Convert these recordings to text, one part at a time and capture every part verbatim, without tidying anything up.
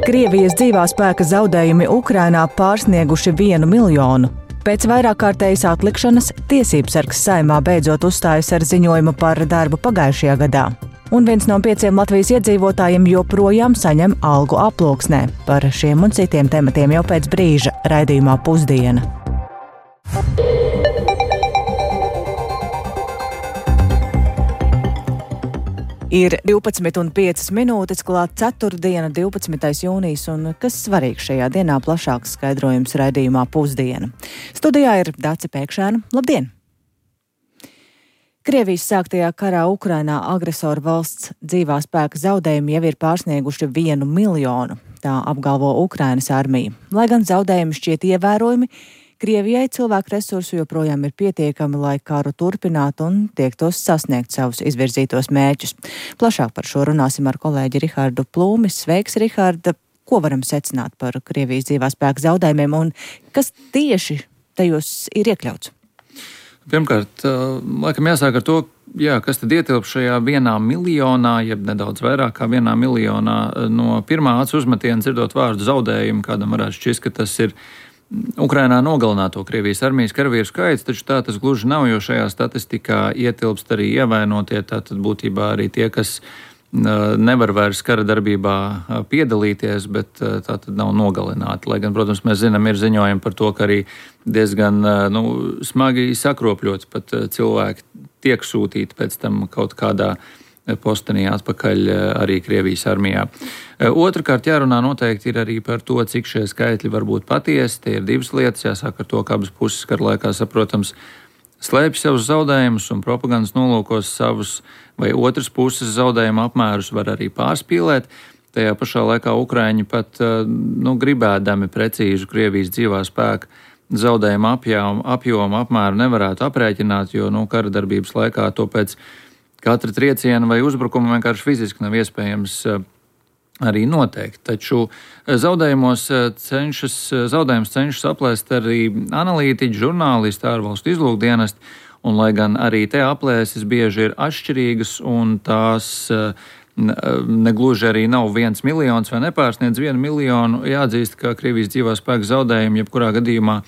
Krievijas dzīvā spēka zaudējumi Ukrainā pārsnieguši vienu miljonu. Pēc vairāk kārtējas atlikšanas Tiesībsargs Saeimā beidzot uzstājas ar ziņojumu par darbu pagājušajā gadā. Un viens no pieciem Latvijas iedzīvotājiem joprojām saņem algu aploksnē. Par šiem un citiem tematiem jau pēc brīža raidījumā Pusdiena. Ir divpadsmit un piecas minūtes, klāt ceturtdiena, divpadsmitais jūnijas, un kas svarīgs šajā dienā plašāks skaidrojums raidījumā Pusdiena. Studijā ir Dace Pēkšēna. Labdien! Krievijas sāktajā karā Ukrainā agresoru valsts dzīvā spēka zaudējumi jau ir pārsnieguši vienu miljonu, tā apgalvo Ukrainas armija. Lai gan zaudējumi šķiet ievērojami, Krievijai cilvēku resursu joprojām ir pietiekami, lai karu turpinātu un tiektos sasniegt savus izvirzītos mērķus. Plašāk par šo runāsim ar kolēģi Rihardu Plūmi. Sveiks, Riharda! Ko varam secināt par Krievijas dzīvā spēka zaudējumiem un kas tieši tajos ir iekļauts? Pirmkārt, laikam jāsāk ar to, jā, kas tad ietilp šajā vienā miljonā, jeb nedaudz vairāk kā vienā miljonā. No pirmā acu uzmetiena dzirdot vārdu zaudējumu, kādam varētu šķist, ka tas ir Ukrainā nogalināto Krievijas armijas karavīru skaits, taču tā tas gluži nav, jo šajā statistikā ietilpst arī ievainotie, tātad būtībā arī tie, kas nevar vairs kara darbībā piedalīties, bet tātad nav nogalināti. Lai gan, protams, mēs zinām, ir ziņojumi par to, ka arī diezgan nu, smagi sakropļots pat cilvēki tiek sūtīti pēc tam kaut kādā postenī atpakaļ arī Krievijas armijā. Otrakārt, jārunā noteikti ir arī par to, cik šie skaitļi var būt patiesi. Tie ir divas lietas. Jāsāk ar to, ka abas puses kara laikā, saprotams, slēpj savus zaudējumus un propagandas nolūkos savus vai otras puses zaudējumu apmērus var arī pārspīlēt. Tajā pašā laikā Ukraiņi pat nu, gribēdami precīzu Krievijas dzīvā spēka zaudējumu apjomu, apjomu apmēru nevarētu aprēķināt, jo nu, kara darbības laikā to pēc katra trieciena vai uzbrukuma vienkārši fiziski nav iespējams arī noteikt. Taču zaudējumos cenšas, zaudējums cenšas aplēst arī analītiķi, žurnālisti, ārvalstu izlūkdienesti, un lai gan arī te aplēses bieži ir atšķirīgas un tās negluži arī nav viens miljons vai nepārsniedz vienu miljonu, jāatzīst, ka Krievijas dzīvā spēka zaudējumi jebkurā gadījumā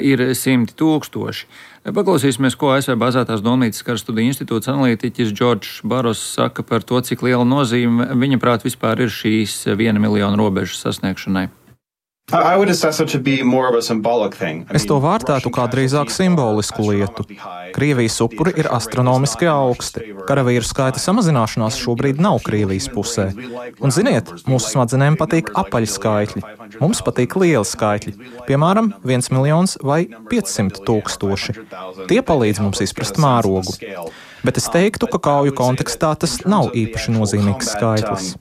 ir simti tūkstoši. Paklausīsimies, ko A S V bāzētās Domnīcas kara studiju institūts analītiķis Džordžs Baros saka par to, cik liela nozīme viņa prāt vispār ir šīs viena miljona robežas sasniegšanai. Es to vērtētu kā drīzāk simbolisku lietu. Krievijas upuri ir astronomiski augsti. Karavīru skaita samazināšanās šobrīd nav Krievijas pusē. Un ziniet, mūsu smadzenēm patīk apaļi skaitļi. Mums patīk lieli skaitļi. Piemēram, viens miljons vai piecsimt tūkstoši. Tie palīdz mums izprast mērogu. Bet es teiktu, ka kauju kontekstā tas nav īpaši nozīmīgs skaitlis.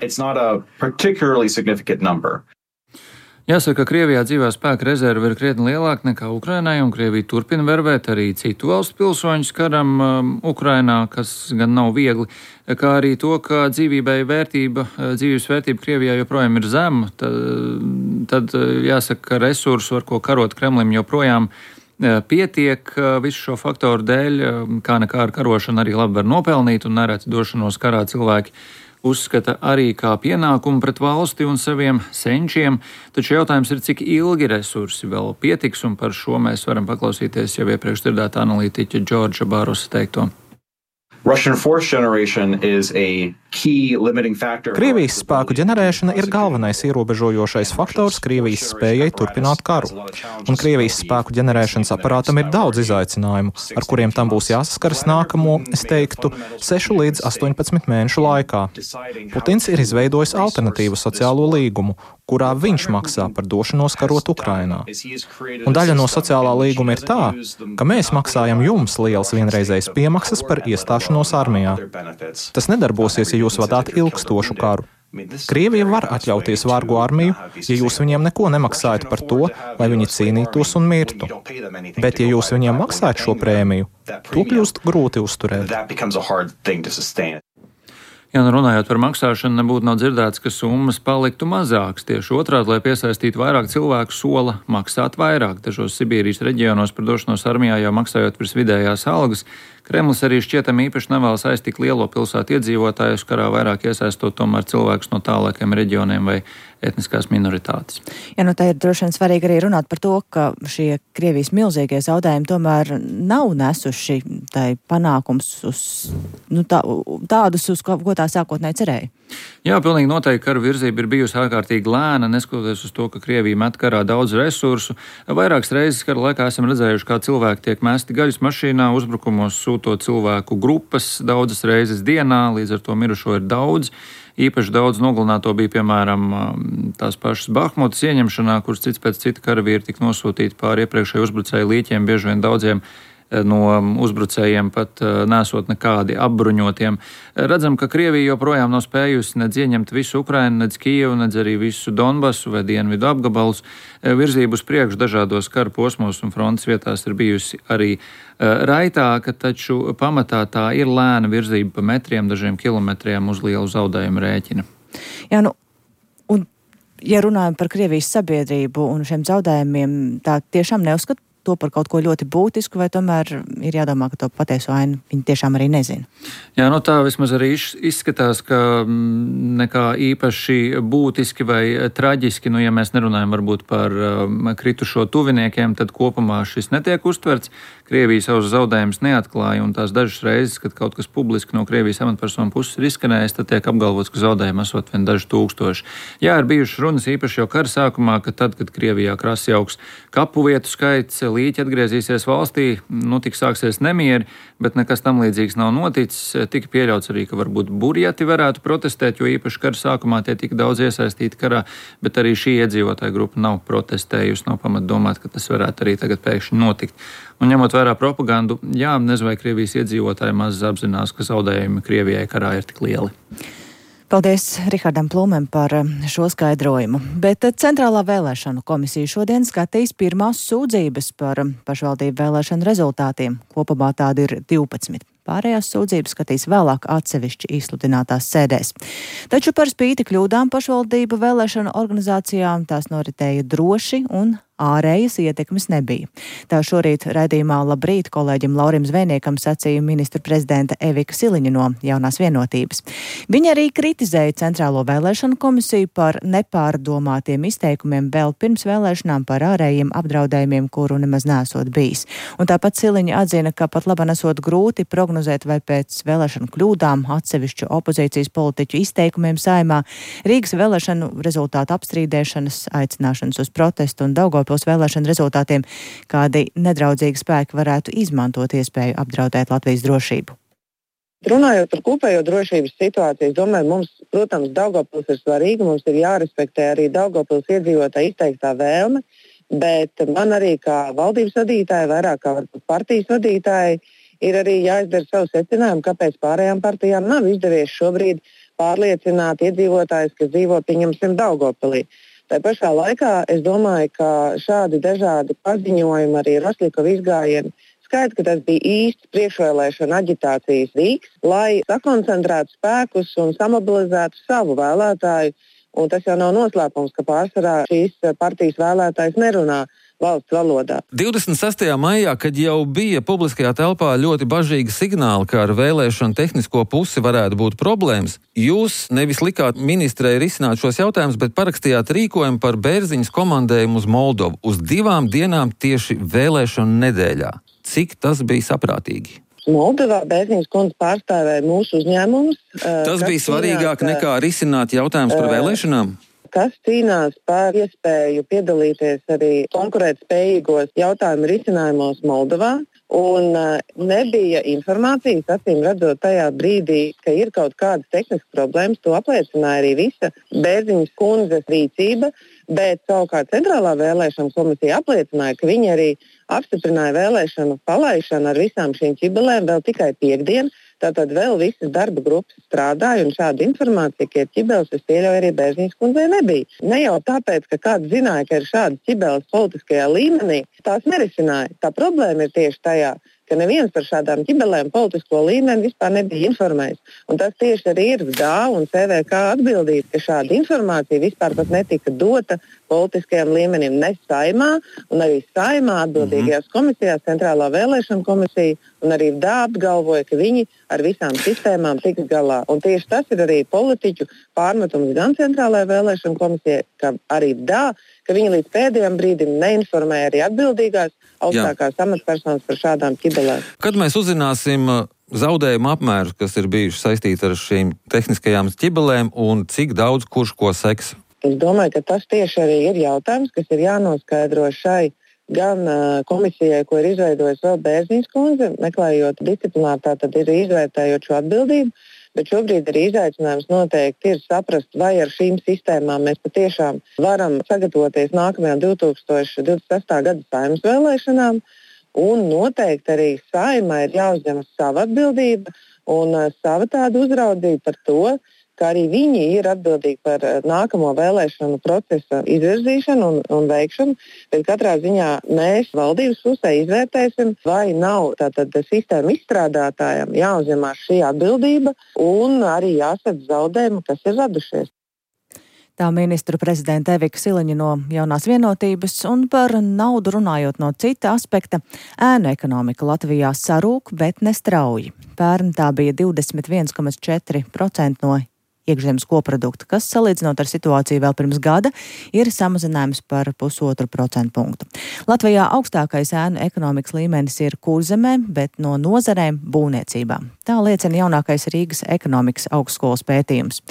Jāsaka, ka Krievijā dzīvā spēka rezerve ir krietni lielāka nekā Ukrainai, un Krievija turpina vervēt arī citu valstu pilsoņus karam um, Ukrainā, kas gan nav viegli, kā arī to, ka dzīvībai vērtība, dzīvības vērtība Krievijā joprojām ir zema, tad, tad jāsaka, ka resursu, ar ko karot Kremlim, joprojām pietiek visu šo faktoru dēļ, kā nekā ar karošanu arī labi var nopelnīt, un nereti došanos karā cilvēki uzskata arī kā pienākumu pret valsti un saviem senčiem, taču jautājums ir, cik ilgi resursi vēl pietiks, un par šo mēs varam paklausīties jau iepriekš dzirdētā analītiķa Džordža Barosa teikto. Krievijas spēku ģenerēšana ir galvenais ierobežojošais faktors Krievijas spējai turpināt karu. Un Krievijas spēku ģenerēšanas aparātam ir daudz izaicinājumu, ar kuriem tam būs jāsaskaras nākamo, es teiktu, sešu līdz astoņpadsmit mēnešu laikā. Putins ir izveidojis alternatīvu sociālo līgumu, kurā viņš maksā par došanos karot Ukrainā. Un daļa no sociālā līguma ir tā, ka mēs maksājam jums lielas vienreizējas piemaksas par iestāšanos armijā. Tas nedarbosies, ja jūs vadāt ilgstošu karu. Krievija var atļauties vārgu armiju, ja jūs viņiem neko nemaksājat par to, lai viņi cīnītos un mirtu. Bet, ja jūs viņiem maksājat šo prēmiju, to kļūst grūti uzturēt. Jā, nu runājot par maksāšanu, nebūtu nav dzirdēts, ka summas paliktu mazākas. Tieši otrādi, lai piesaistītu vairāk cilvēku, sola maksāt vairāk. Dažos Sibīrijas reģionos par došanos armijā jau maksājot virs vidējās algas, Kremlis arī šķietami īpaši nevēlas aizt tik lielo pilsētu iedzīvotājus, karā vairāk iesaistot tomēr cilvēkus no tālākiem reģioniem vai etniskās minoritātes. Jā, nu tā ir droši vien svarīgi arī runāt par to, ka šie Krievijas milzīgie zaudējumi tomēr nav nesuši tai panākums uz nu, tā, tādus, uz ko, ko tā sākotnēji cerēja. Jā, pilnīgi noteikti kara virzība ir bijusi ārkārtīgi lēna, neskatoties uz to, ka Krievija met karā daudz resursu. Vairākas reizes kara laikā esam redzējuši, kā cilvēki tiek mesti gaļas mašīnā, uzbrukumos sūtot cilvēku grupas daudzas reizes dienā, līdz ar to mirušo ir daudz. Īpaši daudz nogalināto bija, piemēram, tās pašas Bahmutas ieņemšanā, kuras cits pēc cita karavīri tika nosūtīti pāri iepriekšēju uzbrucēju līķiem, bieži vien daudziem no uzbrucējiem pat nesot nekādi apbruņotiem. Redzam, ka Krievija joprojām nav spējusi nedz ieņemt visu Ukrainu, nedz Kijevu, nedz arī visu Donbasu vai dienvidu apgabalus. Virzību uz priekšu dažādos kara posmos un frontes vietās ir bijusi arī raitāka, taču pamatā tā ir lēna virzība pa metriem, dažiem kilometriem uz lielu zaudējumu rēķina. Jā, nu, un ja runājam par Krievijas sabiedrību un šiem zaudējumiem, tā tiešām neuzskata to par kaut ko ļoti būtisku, vai tomēr ir jādomā, ka to patieso ainu viņi tiešām arī nezina? Jā, nu tā vismaz arī izskatās, ka nekā īpaši būtiski vai traģiski, nu ja mēs nerunājam varbūt par um, kritušo tuviniekiem, tad kopumā šis netiek uztverts. Krievija savus zaudējumus neatklāja, un tās dažas reizes, kad kaut kas publiski no Krievijas amatpersonu puses ir izskanējis, tad tiek apgalvots, ka zaudējumi esot vien daži tūkstoši. Jā, ir bijušas runas īpaši jau kara sākumā, ka tad, kad Krievijā krasi augs kapu vietu skaits, līķi atgriezīsies valstī, nu tik sāksies nemieri, bet nekas tam līdzīgs nav noticis. Tika pieļauts arī, ka varbūt burjati varētu protestēt, jo īpaši kara sākumā tie tika daudz iesaistīti karā, bet arī šī iedzīvotāja grupa nav protestējusi, nav pamat domāt, ka tas varētu arī tagad pēkšņi notikt. Un ņemot vērā propagandu, jā, nezinu, vai Krievijas iedzīvotāji maz apzinās, ka zaudējumi Krievijai karā ir tik lieli. Paldies Rihardam Plūmēm par šo skaidrojumu. Bet Centrālā vēlēšanu komisija šodien skatīs pirmās sūdzības par pašvaldību vēlēšanu rezultātiem. Kopumā tādi ir divpadsmit. Pārējās sūdzības skatīs vēlāk atsevišķi izsludinātās sēdēs. Taču par spīti kļūdām pašvaldību vēlēšanu organizācijām tās noritēja droši un ārējas ietekmes nebija. Tā šorīt raidījumā Labrīt kolēģim Laurim Zvejniekam sacīja ministra prezidenta Evika Siliņa no Jaunās vienotības. Viņa arī kritizēja Centrālo vēlēšanu komisiju par nepārdomātiem izteikumiem vēl pirms vēlēšanām par ārējiem apdraudējumiem, kuru nemaz nesot bijis. Un tāpat Siliņa atzina, ka pat labi nesot grūti prognozēt, vai pēc vēlēšanu kļūdām atsevišķu opozīcijas politiķu izteikumiem Saeimā, Rīgas vēlēšanu rezultātu apstrīdēšanas, aicināšanas uz protestu un Daugavpils vēlēšanu rezultātiem, kādi nedraudzīgi spēki varētu izmantot iespēju apdraudēt Latvijas drošību. Runājot par kopējo drošības situāciju, es domāju, mums, protams, Daugavpils ir svarīga, mums ir jārespektē arī Daugavpils iedzīvotāju izteiktā vēlme, bet man arī kā valdības vadītāji, vairāk kā partijas vadītāji, ir arī jāizdara savu secinājumu, kāpēc pārējām partijām nav izdevies šobrīd pārliecināt iedzīvotājus, kas dzīvo, pieņemsim, Daugavpilī. Tā pašā laikā es domāju, ka šādi dažādi paziņojumi, arī Rosļikova izgājieni, skaidrs, ka tas bija īsts priekšvēlēšana aģitācijas rīks, lai sakoncentrētu spēkus un samobilizētu savu vēlētāju. Un tas jau nav noslēpums, ka pārsvarā šīs partijas vēlētājs nerunā valsts valodā. divdesmit sestajā maijā, kad jau bija publiskajā telpā ļoti bažīgi signāli, ka ar vēlēšanu tehnisko pusi varētu būt problēmas, jūs nevis likāt ministrei risināt šos jautājumus, bet parakstījāt rīkojumu par Bērziņas komandējumu uz Moldovu uz divām dienām tieši vēlēšanu nedēļā. Cik tas bija saprātīgi? Moldovā Bērziņas kundze pārstāvēja mūsu uzņēmumus. Tas bija svarīgāk nekā risināt jautājumus par vēlēšanām? Kas cīnās par iespēju piedalīties arī konkurētspējīgos jautājumu risinājumos Moldovā. Un nebija informācijas, acīm redzot, tajā brīdī, ka ir kaut kādas tehniskas problēmas. To apliecināja arī visa Bērziņas kundzes rīcība, bet savukārt Centrālā vēlēšana komisija apliecināja, ka viņi arī apstiprināja vēlēšanu palaišanu ar visām šīm ķibelēm vēl tikai piekdien. Tātad vēl visas darba grupas strādāja, un šāda informācija, ka ir ķibeles, es pieļauju, arī Bērziņas kundzei nebija. Ne jau tāpēc, ka kāds zināja, ka ir šādas ķibeles politiskajā līmenī, tās nerisināja. Tā problēma ir tieši tajā, ka neviens par šādām ķibelēm politisko līmeni vispār nebija informējis. Un tas tieši arī ir D A un C V K atbildība, ka šāda informācija vispār pat netika dota politiskajam līmenim, ne saimā, un arī saimā atbildīgajās komisijās, centrālā vēlēšana komisija, un arī D A apgalvoja, ka viņi ar visām sistēmām tiks galā. Un tieši tas ir arī politiķu pārmetums gan centrālajai vēlēšana komisijai, kā arī D A, ka viņi līdz pēdējiem brīdim neinformēja arī atbildīgās augstākās amatpersonas par šādām ķibelēm. Kad mēs uzzināsim zaudējumu apmērus, kas ir bijuši saistīti ar šīm tehniskajām ķibelēm, un cik daudz kurš ko seks? Es domāju, ka tas tieši arī ir jautājums, kas ir jānoskaidro šai gan uh, komisijai, ko ir izveidojusi vēl Bērziņas kundze, meklējot disciplināri, tātad ir izvērtējot šo atbildību, bet šobrīd arī izaicinājums noteikti ir saprast, vai ar šīm sistēmām mēs patiešām varam sagatavoties nākamajām divi tūkstoši divdesmit sestā gada Saeimas vēlēšanām, un noteikti arī Saeimai ir jāuzņemas sava atbildība un uh, sava tāda uzraudzība par to, ka arī viņi ir atbildīgi par nākamo vēlēšanu procesa izvirzīšanu un, un veikšanu, bet katrā ziņā mēs valdības pusē izvērtēsim, vai nav tātad sistēma izstrādātājiem jāuzņemās šī atbildība un arī jāsadz zaudējumi, kas ir radušies. Tā ministru prezidenta Evika Siliņa no Jaunās vienotības, un par naudu runājot no cita aspekta, ēnu ekonomika Latvijā sarūk, bet nestrauji. Pērn tā bija divdesmit viens komats četri procenti no iekšzemes koprodukta, kas, salīdzinot ar situāciju vēl pirms gada, ir samazinājums par pusotru procentu punktu. Latvijā augstākais ēnu ekonomikas līmenis ir Kurzemē, bet no nozarēm būvniecībā. Tā liecina jaunākais Rīgas ekonomikas augstskolas pētījums.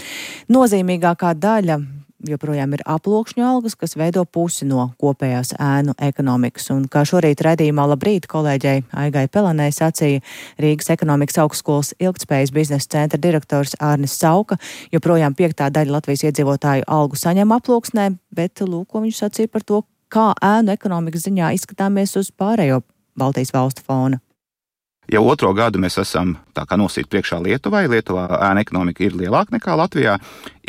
Nozīmīgākā daļa joprojām ir aploksņu algas, kas veido pusi no kopējās ēnu ekonomikas. Un kā šorīt redzījumā Labrīt kolēģei Aigai Pelenei sacīja Rīgas ekonomikas augstskolas ilgtspējas biznesa centra direktors Ārnis Sauka, joprojām piektā daļa Latvijas iedzīvotāju algu saņem aploksnē, bet lūk, ko viņš sacīja par to, kā ēnu ekonomikas ziņā izskatāmies uz pārējo Baltijas valstu fona. Jau otro gadu mēs esam tā kā nosīt priekšā Lietuvai. Lietuvā ēna ekonomika ir lielāka nekā Latvijā.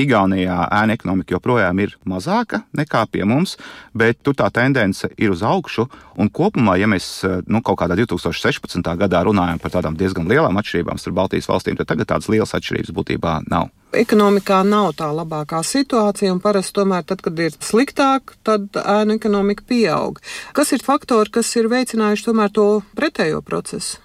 Igaunijā ēna ekonomika joprojām ir mazāka nekā pie mums, bet tur tā tendence ir uz augšu. Un kopumā, ja mēs nu, kaut kādā divi tūkstoši sešpadsmitā gadā runājam par tādām diezgan lielām atšķirībām starp Baltijas valstīm, tad tagad tādas lielas atšķirības būtībā nav. Ekonomikā nav tā labākā situācija, un parasti tomēr tad, kad ir sliktāk, tad ēnu ekonomika pieaug. Kas ir faktori, kas ir veicinājuši tomēr to pretējo procesu?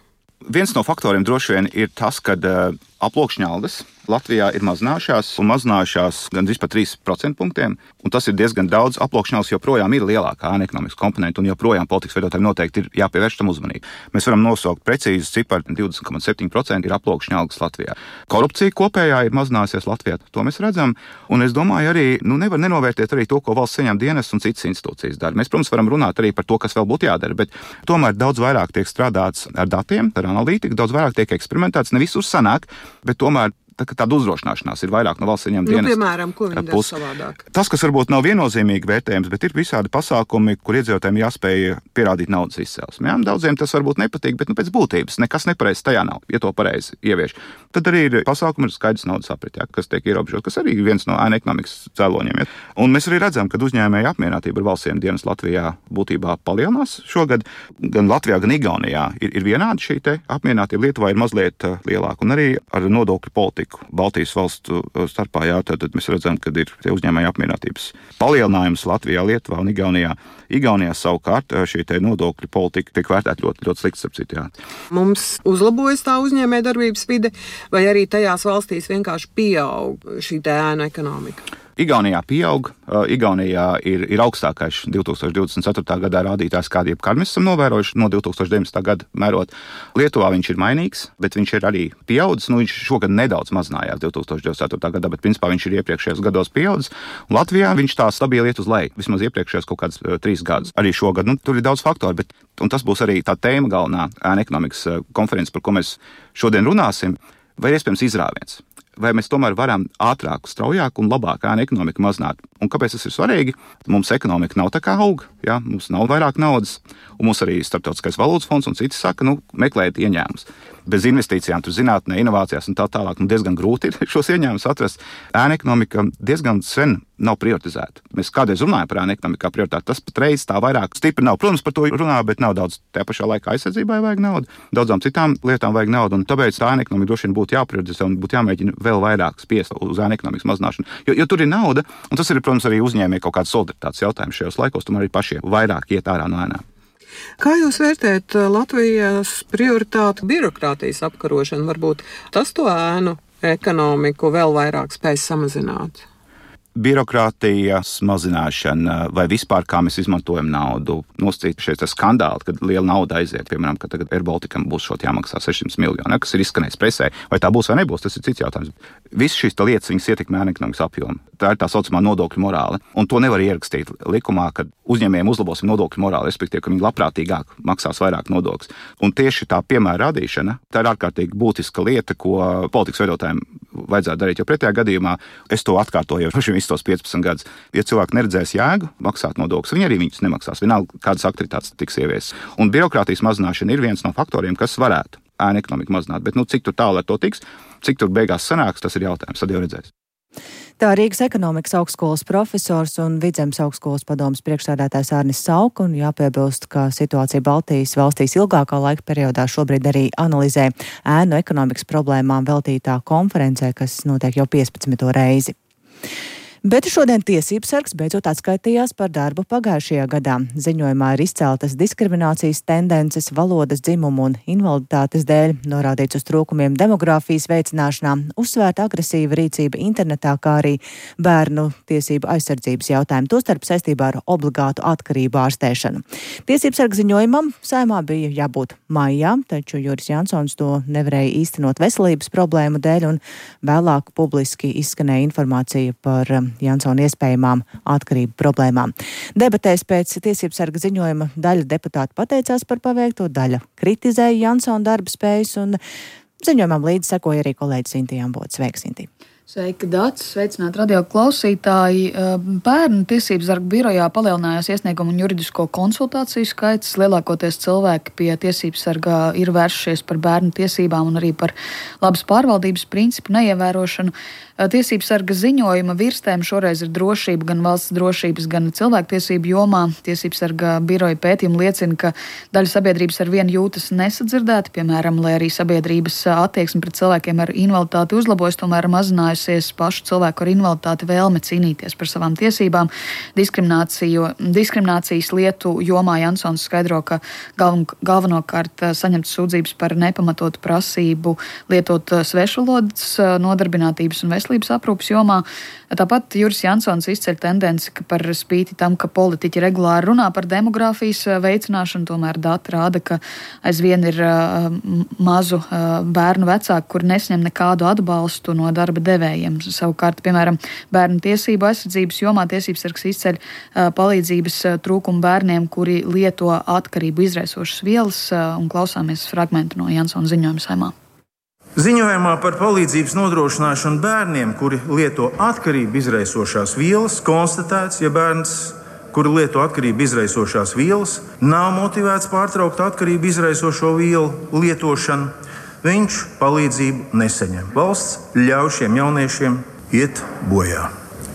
Viens no faktoriem droši vien ir tas, ka uh, aploksņa algas Latvijā ir mazinājušās un mazinājušās gandrīz par trīs procentu punktiem, un tas ir diezgan daudz. Aploksņa algas joprojām ir lielākā ēna ekonomikas komponenta, un joprojām politikas veidotājiem noteikti ir jāpievērš tam uzmanību. Mēs varam nosaukt precīzi ciparu, divdesmit komats septiņi procenti ir aploksņa algas Latvijā. Korupcija kopējā ir mazinājusies Latvijā, to mēs redzam, un es domāju arī, nu nevar nenovērtēt arī to, ko valsts saņem dienas un citas institūcijas dara. Mēs, protams, varam runāt arī par to, kas vēl būtu jādara, bet tomēr daudz vairāk tiek strādāts ar datiem, ar analītiku, daudz vairāk tiek eksperimentēts, ne visur sanāk, bet tomēr tā, tāda uzdrošināšanās ir vairāk no valsts saņemta dienas. Nu, piemēram, ko viņi dara savādāk? Tas, kas varbūt nav viennozīmīgi vērtējums, bet ir visādi pasākumi, kur iedzīvotājiem jāspēj pierādīt naudas izcelsmi. Jā, daudziem tas varbūt nepatīk, bet nu, pēc būtības nekas nepareizs tajā nav, ja to pareizi ievieš. Tad arī ir pasākumi ar skaidrs naudas aprit, jā, kas tiek ierobežot, kas arī viens no ēna ekonomikas cēloņiem. Jā. Un mēs arī redzam, ka uzņēmēju apmierinātība ar valsts dienas Latvijā būtībā palielinās šogad. Gan Latvijā, gan Igaunijā ir, ir vienādi šī te apmierinātība. Lietuvā ir mazliet lielāka, un arī ar nodokļu politiku Baltijas valstu starpā, jā, tad mēs redzam, ka ir uzņēmēju apmierinātības palielinājums Latvijā, Lietuvā un Igaunijā. Igaunijā savukārt šī te nodokļu politika tiek vērtēta ļoti, ļoti slikti, starp citu, jā. Mums uzlabojas tā uzņēmēja darbības vide, vai arī tajās valstīs vienkārši pieaug šī te ēnu ekonomika? Igaunijā pieaug, Igaunijā ir, ir augstākais divi tūkstoši divdesmit ceturtā gadā rādītājs, kādu jebkad mēs esam novērojuši no divi tūkstoši deviņdesmitā gada mērot. Lietuvā viņš ir mainīgs, bet viņš ir arī pieaudzis. Nu, viņš šogad nedaudz mazinājās divi tūkstoši divdesmit ceturtā gadā, bet principā viņš ir iepriekšējos gados pieaudzis. Un Latvijā viņš tā stabili iet uz leju, vismaz iepriekšējos kaut kādus uh, trīs gadus. Arī šogad, nu, tur ir daudz faktoru, bet un tas būs arī tā tēma galvenā ēna ekonomikas uh, konferences, par ko mēs šodien runāsim, vai ir iespējams izrāviens. Vai mēs tomēr varam ātrāk, straujāk un labāk ēna ekonomiku mazināt. Un kāpēc tas ir svarīgi? Mums ekonomika nav tā kā aug, jā, mums nav vairāk naudas, un mums arī Starptautiskais valūtas fonds un citi saka, nu, meklējiet ieņēmumus. bez investīcijām, tur zinātnē, inovācijās un tā tālāk, nu diezgan grūti ir šos ieņēmumus atrast. Ēna ekonomika diezgan sen nav prioritizēta. Mēs kādreiz runājam par ēna ekonomiku kā prioritāti, tas patreiz tā vairāk stipri nav. Protams, par to runā, bet nav daudz. Tajā pašā laikā aizsardzībai vajag naudu, daudzām citām lietām vajag naudu, un tāpēc tā ēna ekonomika droši vien būtu jāprioritizē un būtu jāmēģina vēl vairāk spiest uz ēna ekonomikas mazināšanu. Jo, jo tur ir nauda, un tas ir, protams, arī uzņēmēji kaut kāds solidaritātes jautājums šajos laikos, tomēr arī pašiem vairāk iet ārā no ēnām. Kā jūs vērtējat Latvijas prioritātu birokrātijas apkarošanu? Varbūt tas to ēnu ekonomiku vēl vairāk spēj samazināt? Birokrātijas mazināšana vai vispār kā mēs izmantojam naudu. Nosacīt šeit skandāli, kad liela nauda aiziet, piemēram, ka tagad Air Balticam būs šot jāmaksā sešsimt miljoni, kas ir izskanējis presē. Vai tā būs vai nebūs, tas ir cits jautājums. Visas šīs lietas viņas ietekmē ēna ekonomikas apjomu. Tā ir tā saucamā nodokļu morāle. Un to nevar ierakstīt likumā, kad uzņēmējiem uzlabosim nodokļu morāli, respektīvi, ka viņi labprātīgāk maksās vairāk nodokļus. Un tieši tā piemēra radīšana, tā ir ārkārtīgi būtiska lieta, ko politikas veidotājiem vajadzētu darīt. Jo pretējā gadījumā es to atkārtoju jau visus tos piecpadsmit gadus. Ja cilvēki neredzēs jēgu maksāt nodokļus, viņi arī viņus nemaksās. Vienalga, kādas aktivitātes tiks ieviesas. Un birokrātijas mazināšana ir viens no faktoriem, kas varētu ēna ekonomiku mazināt. Bet nu, cik tur tālu ar to tiks, cik tur beigās sanāks, tas ir jautājums. Tad jau redzēs. Tā Rīgas ekonomikas augstskolas profesors un Vidzemes augstskolas padomes priekšsēdētājs Arnis Sauka, un jāpiebilst, ka situācija Baltijas valstīs ilgākā laika periodā šobrīd arī analizē ēnu ekonomikas problēmām veltītā konferencē, kas notiek jau piecpadsmito reizi. Bet šodien tiesības sargs beidzot atskaitījās par darbu pagājušajā gadā. Ziņojumā ir izceltas diskriminācijas tendences valodas, dzimumu un invaliditātes dēļ, norādīts uz trūkumiem demogrāfijas veicināšanā, uzsvērta agresīva rīcība internetā, kā arī bērnu tiesību aizsardzības jautājumu, tostarp saistībā ar obligātu atkarību ārstēšanu. Tiesības sarga ziņojumam Saeimā bija jābūt maijā, taču Juris Jansons to nevarēja īstenot veselības problēmu dēļ, un vēlāk publiski izskanēja informācija par Jansona iespējamām atkarību problēmām. Debatēs pēc tiesības sarga ziņojuma daļa deputāti pateicās par paveikto, daļa kritizēja Jansona darba spējas, un ziņojumam līdzi sekoja arī kolēģis Sintīja Ambote. Sveika, Sintīja! Sveika, Dats! Sveicināt radio klausītāji! Bērnu tiesības sarga birojā palielinājās iesniegumu un juridisko konsultāciju skaits. Lielākoties cilvēki pie tiesības sarga ir vēršies par bērnu tiesībām un arī par labas pārvaldības principu neievērošanu. Tiesības sarga ziņojuma virstēm šoreiz ir drošība gan valsts drošības, gan cilvēktiesību jomā. Tiesības sarga biroja pētījumi liecina, ka daļa sabiedrības ar vienu jūtas nesadzirdēti, piemēram, lai arī sabiedrības attieksme pret cilvēkiem ar invaliditāti uzlabojas, tomēr mazinājusies pašu cilvēku ar invaliditāti vēlme cīnīties par savām tiesībām. Diskriminācijas lietu jomā Jansons skaidro, ka galven, galvenokārt saņemtas sūdzības par nepamatotu prasību lietot svešvalodas, nodarbinātības un veselības veselības aprūpas jomā. Tāpat Juris Jansons izceļ tendenci, ka par spīti tam, ka politiķi regulāri runā par demogrāfijas veicināšanu, tomēr dati rāda, ka aizvien ir uh, mazu uh, bērnu vecāku, kuri nesņem nekādu atbalstu no darba devējiem. Savukārt, piemēram, bērnu tiesību aizsardzības jomā tiesības sargs izceļ uh, palīdzības uh, trūkumu bērniem, kuri lieto atkarību izraisošas vielas, uh, un klausāmies fragmentu no Jansona ziņojuma Saeimā. Ziņojumā par palīdzības nodrošināšanu bērniem, kuri lieto atkarību izraisošās vielas, konstatēts, ja bērns, kuri lieto atkarību izraisošās vielas, nav motivēts pārtraukt atkarību izraisošo vielu lietošanu, viņš palīdzību nesaņem. Valsts ļauj šiem jauniešiem iet bojā,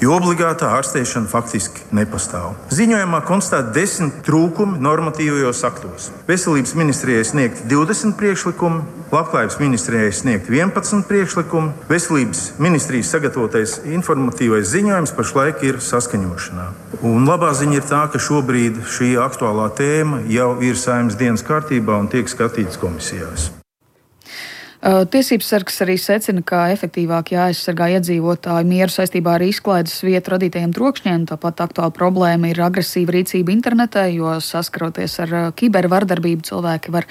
jo obligātā ārstēšana faktiski nepastāv. Ziņojumā konstatēt desmit trūkumi normatīvajos aktos. Veselības ministrijai sniegt divdesmit priekšlikumi, Labklājības ministrijai sniegt vienpadsmit priekšlikumi, Veselības ministrijas sagatavotais informatīvais ziņojums pašlaik ir saskaņošanā. Un labā ziņa ir tā, ka šobrīd šī aktuālā tēma jau ir Saeimas dienas kārtībā un tiek skatīts komisijās. Tiesības sargs arī secina, ka efektīvāk jāaizsargā iedzīvotāju mieru saistībā ar izklaides vietu radītajiem trokšņiem. Tāpat aktuāla problēma ir agresīva rīcība internetā, jo saskaroties ar kibervardarbību cilvēki var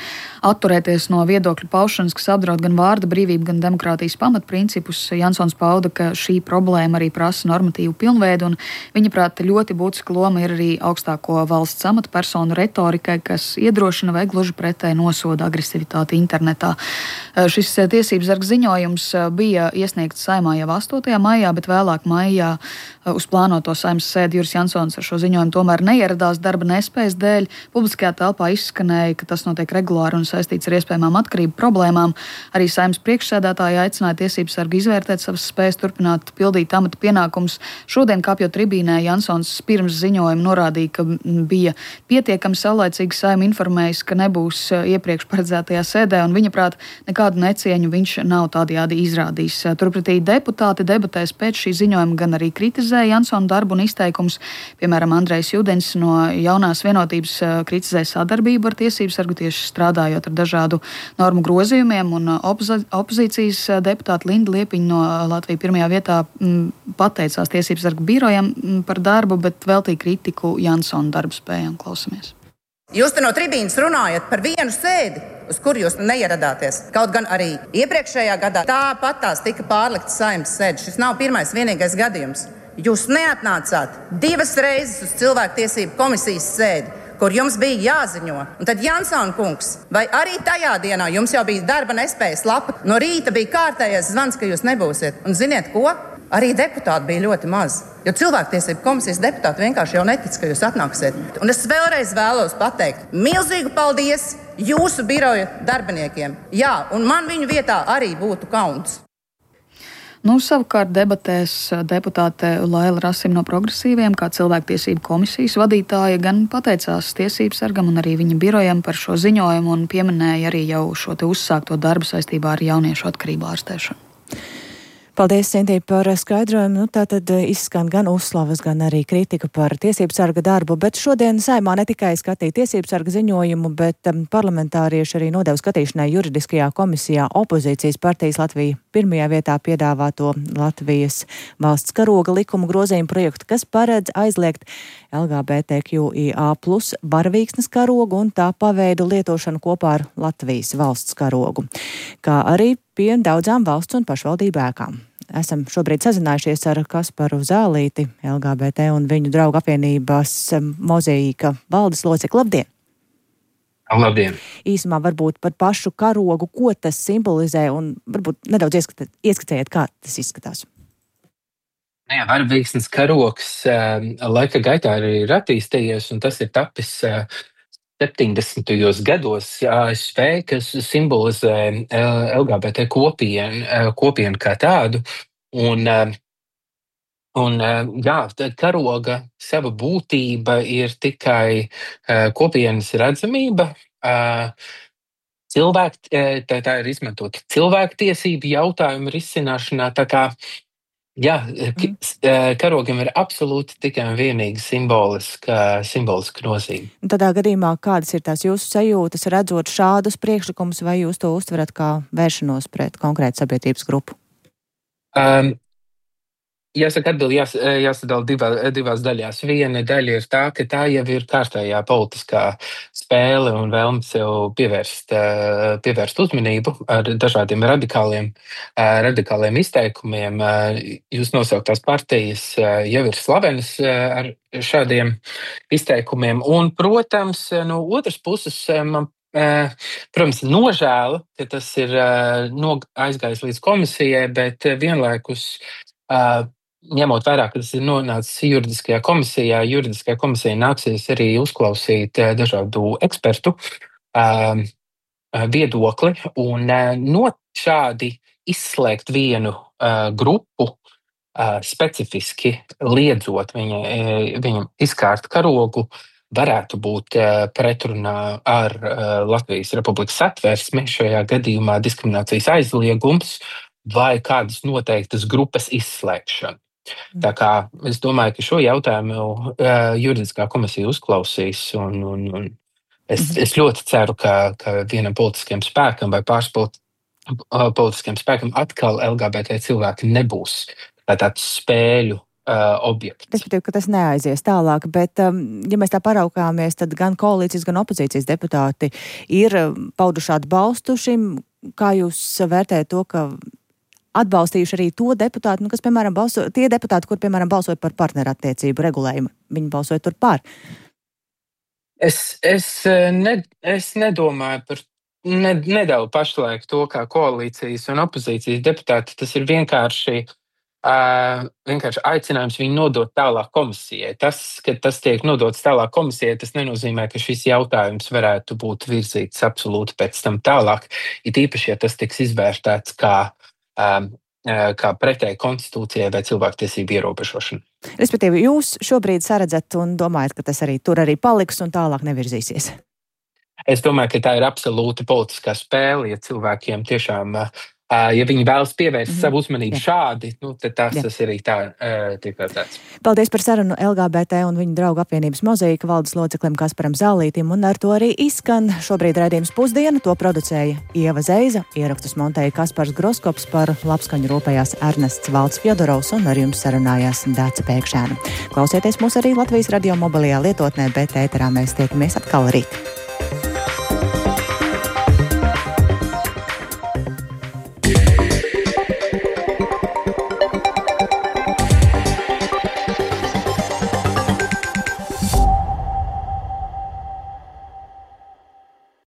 atturēties no viedokļu paušanas, kas apdraud gan vārda brīvību, gan demokrātijas pamatprincipus. Jansons pauda, ka šī problēma arī prasa normatīvu pilnveidu, un viņa prāt ļoti būtiska loma ir arī augstāko valsts amatpersonu retorikai, kas iedrošina vai gluži pretēji nosoda agresivitāti internetā. Šis Šis tiesības sarga ziņojums bija iesniegts Saeimā jau astotajā maijā, bet vēlāk maijā uz plānoto Saeimas sēdi Juris Jansons ar šo ziņojumu tomēr neieradās darba nespējas dēļ. Publiskajā telpā izskanēja, ka tas notiek regulāri un saistīts ar iespējamām atkarību problēmām. Arī Saeimas priekšsēdētāja aicināja tiesības sargu izvērtēt savas spējas turpināt pildīt amata pienākumus. Šodien, kāpjot tribīnē, Jansons pirms ziņojuma norādīja, ka bija pietiekami saulaicīgi Saeima informējis, ka nebūs iepriekš paredzētajā sēdē, un viņa prāt nekādu necieņu viņš nav tādējādi izrādījis. Turpretī deputāti debatēs pēc šī ziņojuma gan arī kritizēja Jansona darbu un izteikums. Piemēram, Andrejs Judens no Jaunās vienotības kritizēja sadarbību ar tiesības sargu tieši strādājot ar dažādu normu grozījumiem, un opozi- opozīcijas deputāta Linda Liepiņa no Latvijas pirmajā vietā m, pateicās tiesības sargu birojam m, par darbu, bet veltīja kritiku Jansona darba spējām. Klausamies. Jūs te no tribīnas runājat par vienu sēdi, uz kuru jūs neieradāties. Kaut gan arī iepriekšējā gadā tāpat tās tika pārliktas Saeimas sēdes. Šis nav pirmais vienīgais gadījums. Jūs neatnācāt divas reizes uz cilvēktiesību komisijas sēdi, kur jums bija jāziņo. Un tad Jansona kungs, vai arī tajā dienā jums jau bija darba nespējas lapa? No rīta bija kārtējais zvans, ka jūs nebūsiet. Un ziniet ko? Arī deputāti bija ļoti maz. Jo cilvēktiesību komisijas deputāti vienkārši jau netic, ka jūs atnāksiet. Un es vēlreiz vēlos pateikt milzīgu paldies jūsu biroja darbiniekiem. Jā, un man viņu vietā arī būtu kauns. Nu, savukārt debatēs deputāte Laila Rasim no Progresīviem, kā cilvēktiesību komisijas vadītāja, gan pateicās tiesības sargam un arī viņa birojam par šo ziņojumu un pieminēja arī jau šo te uzsākto darbu saistībā ar jauniešu atkarību ārstēšanu. Paldies, Sintī, par skaidrojumu. Nu, tā tad izskan gan uzslavas, gan arī kritika par tiesību sarga darbu, bet šodien Saeimā ne tikai skatīja tiesību sarga ziņojumu, bet um, parlamentārieši arī nodeva skatīšanai juridiskajā komisijā opozīcijas partijas Latvija pirmajā vietā piedāvāto Latvijas valsts karoga likumu grozījumu projektu, kas paredz aizliegt L G B T Q I A plus baravīksnes karogu un tā paveidu lietošanu kopā ar Latvijas valsts karogu, kā arī pie daudzām valsts un pašvaldību ēkām. Esam šobrīd sazinājušies ar Kasparu Zālīti, L G B T un viņu draugu apvienības Mozaīka valdes locekli. Labdien! Labdien! Īsumā varbūt par pašu karogu, ko tas simbolizē, un varbūt nedaudz ieskatāt, ieskatējiet, kā tas izskatās. Jā, baravīksnes karogs uh, laika gaitā arī ir attīstījies, un tas ir tapis uh, septiņdesmitajos gados A S V, kas simbolizē L G B T kopienu, kopienu kā tādu. Un, un jā, karoga sava būtība ir tikai kopienas redzamība. Cilvēk, tā, tā ir izmantota cilvēktiesību jautājumu risināšanā. Tā kā jā, karogam ir absolūti tikai un vienīgi simboliska, simboliska nozīme. Tādā gadījumā, kādas ir tās jūsu sajūtas, redzot šādus priekšlikumus, vai jūs to uztverat kā vēršanos pret konkrētu sabiedrības grupu? Um, Jāsaka, atbildi jās, jāsadala divā, divās daļās. Viena daļa ir tā, ka tā jau ir kārtējā politiskā spēle un vēlme sev pievērst, pievērst uzmanību ar dažādiem radikāliem, radikāliem izteikumiem. Jūs nosauktās partijas jau ir slavenas ar šādiem izteikumiem. Un, protams, no otras puses man protams, nožēla, ka tas ir aizgājis līdz komisijai, bet vienlaikus ņemot vērā, ka tas ir nonācis juridiskajā komisijā, juridiskajā komisijā nāksies arī uzklausīt dažādu ekspertu uh, viedokli un uh, no šādi izslēgt vienu uh, grupu, uh, specifiski liedzot viņa, viņam izkārt karogu, varētu būt uh, pretrunā ar uh, Latvijas Republikas satversmi, šajā gadījumā diskriminācijas aizliegums vai kādas noteiktas grupas izslēgšana. Tā kā es domāju, ka šo jautājumu uh, juridiskā komisija uzklausīs, un, un, un es, es ļoti ceru, ka, ka vienam politiskiem spēkam vai pāris politi- uh, politiskiem spēkam atkal L G B T cilvēki nebūs tāds spēļu uh, objekts. Respektīvi, ka tas neaizies tālāk, bet um, ja mēs tā paraugāmies, tad gan koalīcijas, gan opozīcijas deputāti ir pauduši atbalstu šim. Kā jūs vērtējat to, ka atbalstījuši arī to deputātu, nu, kas, piemēram, balso, tie deputāti, kur, piemēram, balsoja par partnerattiecību regulējumu, viņi balsoja tur par? Es, es, ne, es nedomāju par ne, nedala pašlaik to kā koalīcijas un opozīcijas deputāti. Tas ir vienkārši, uh, vienkārši aicinājums viņu nodot tālāk komisijai. Tas, ka tas tiek nodots tālāk komisijai, tas nenozīmē, ka šis jautājums varētu būt virzīts absolūti pēc tam tālāk. It īpaši, ja tas tiks izvērtēts kā, um, kā pretēji konstitūcijai vai cilvēktiesību ierobežošana. Respektīvi, jūs šobrīd saredzat un domājat, ka tas arī tur arī paliks un tālāk nevirzīsies? Es domāju, ka tā ir absolūti politiskā spēle, ja cilvēkiem tiešām, ja viņi vēlas pievērst mm-hmm. savu uzmanību Jā. šādi, nu, tad tas, tas arī tā tiek vērtēts. Paldies par sarunu L G B T un viņu draugu apvienības Mozaīka valdes loceklim Kasparam Zālītim, un ar to arī izskan šobrīd raidījums Pusdiena. To producēja Ieva Zeiza, ierakstus montēja Kaspars Groskops, par labskaņu rūpējās Ernests Valds Fjodorovs un ar jums sarunājās Dāca Pēkšēna. Klausieties mūs arī Latvijas radio mobilajā lietotnē, bet ēterā mēs tiekamies atkal rīt.